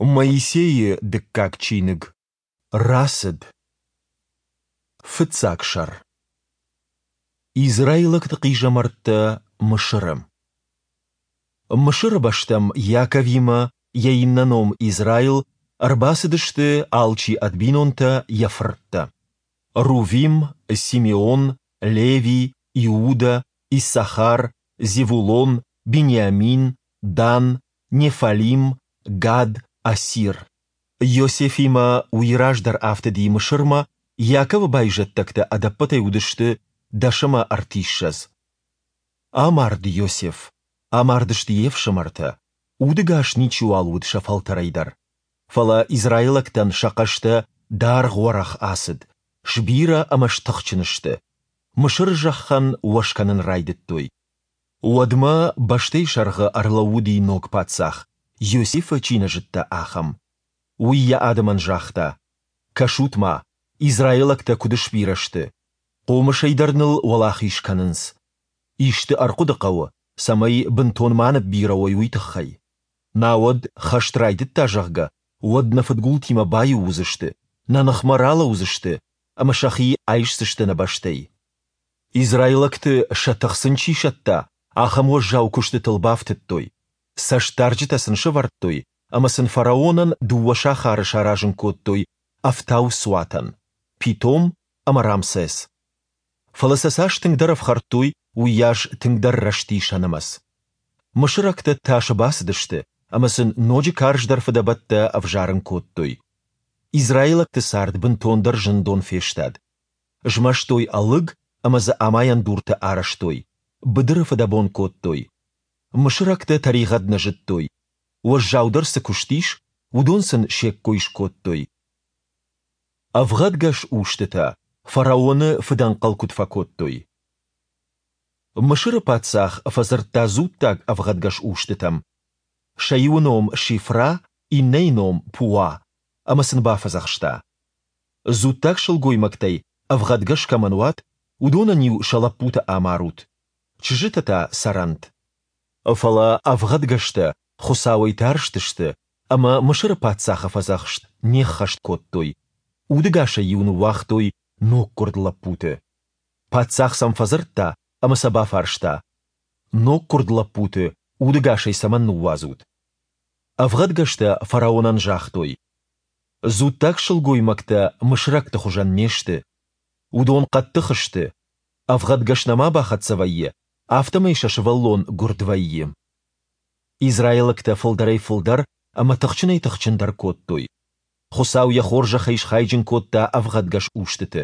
Моисейы дыккаг чиныг. Рацыд. Фыццаг сӕр. Израилӕгты хъизӕмӕрттӕ Мысыры. Мысыры бӕстӕм Иаковимӕ, йӕ иннӕ ном Израил, ӕрбацыдысты алчи ӕд бинонтӕ, йӕ фырттӕ. Рувим, Симеон, Леви, Иудӕ, Иссахар, Зевулон, Бениамин, Дан, Неффалим, Гад, Асир. Иосифимӕ уый раздӕр афтыди Мысырмӕ, Иаковы байзӕддӕгтӕ ӕдӕппӕтӕй уыдысты 330. Амард Иосиф, амардысты йе фсымӕртӕ, удӕгас ничиуал уыд сӕ фӕлтӕрӕй дӕр. Фӕлӕ израилӕгтӕн сӕ хъӕстӕ даргъ-уӕрӕх ацыд, сбирӕ ӕмӕ стыхджын сты. Мысыры зӕххӕн уӕз кӕнын райдыдтой. Уӕдмӕ бӕстӕйы сӕргъы ӕрлӕууыди ног паддзах, Иосифы чи нӕ зыдта, ахӕм. Уый йӕ адӕмӕн загъта, Кӕсут-ма, израилӕгтӕ куыд сбирӕ сты! Хъомысӕй дӕр ныл уӕлахиз кӕнынц. Исты ӕрхъуыды хъӕуы, цӕмӕй бынтон ма ныббирӕ уой, уый тыххӕй. Науӕд, хӕст райдыдта, зӕгъгӕ, уӕд нӕ фыдгултимӕ баиу уыдзысты, нӕ ныхмӕ ралӕудзысты ӕмӕ сӕхи айсдзысты нӕ бӕстӕй. Израилӕгты сӕ тых сын чи сӕтта, ахӕм уӕззау куыстытыл бафтыдтой. Цӕстдарджытӕ сын сӕвӕрдтой ӕмӕ сын фараонӕн дыууӕ сахары саразын кодтой ӕфтауцуатӕн, Питом ӕмӕ Рамсес. Фӕлӕ сӕ цас тынгдӕр ӕфхӕрдтой, уыйас тынгдӕр рӕзти сӕ нымӕц. Мысырӕгтӕ тасы бацыдысты ӕмӕ сын ноджы карздӕр фыдӕбӕттӕ ӕвзарын кодтой. Израилӕгты цард бынтондӕр зындон фестад. Змӕстой ӕлыг ӕмӕ дзы амайӕн дуртӕ арӕзтой, быдыры фыдӕбон кодтой. Мысырӕгтӕ тӕригъӕд нӕ зыдтой, уӕззаудӕр цы куыст ис, уыдон сын се ккой скодтой. Ӕвгъӕдгӕс устытӕ фараоны фыдӕнхъӕл куыд фӕкодтой. Мысыры паддзах фӕдзырдта дзуттаг ӕвгъӕдгӕс устытӕм. Сӕ иуы ном Шифра, иннӕйы ном Пуа, ӕмӕ сын бафӕдзӕхста. Дзуттаг сылгоймӕгтӕй ӕвгъӕдгӕс кӕмӕн уат, уыдонӕн-иу сӕ лӕппутӕ амарут, чызджытӕ та цӕрӕнт. Фӕлӕ ӕвгъӕдгӕстӕ Хуыцауӕй тарстысты ӕмӕ Мысыры паддзахы фӕдзӕхст не ххӕст кодтой, удӕгасӕй-иу ныууагътой ноггуырд лӕппуты. Паддзах сӕм фӕдзырдта ӕмӕ сӕ бафарста, Ноггуырд лӕппуты удӕгасӕй цӕмӕн ныууадзут? Ӕвгъӕдгӕстӕ фараонӕн загътой, Дзуттаг сылгоймӕгтӕ мысырӕгты хуызӕн не сты. Уыдон хъӕддых сты, ӕвгъӕдгӕс нӕма бахӕццӕ вӕййы, афтӕмӕй сӕ сывӕллон гуырд вӕййы. Израилӕгтӕ фылдӕрӕй-фылдӕр ӕмӕ тыхджынӕй-тыхджындӕр кодтой. Хуыцау йӕ хорзӕхӕй схайджын кодта ӕвгъӕдгӕс устыты.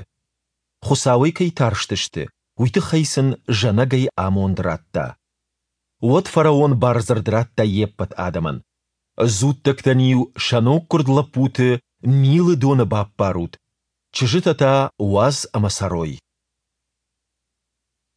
Хуыцауӕй кӕй тарстысты, уый тыххӕй сын зӕнӕгӕй амонд радта. Уӕд фараон бардзырд радта йе ппӕт адӕмӕн. Дзуттӕгтӕн-иу сӕ ноггуырд лӕппуты Нилы доны баппарут, чызджытӕ та уадз ӕмӕ цӕрой.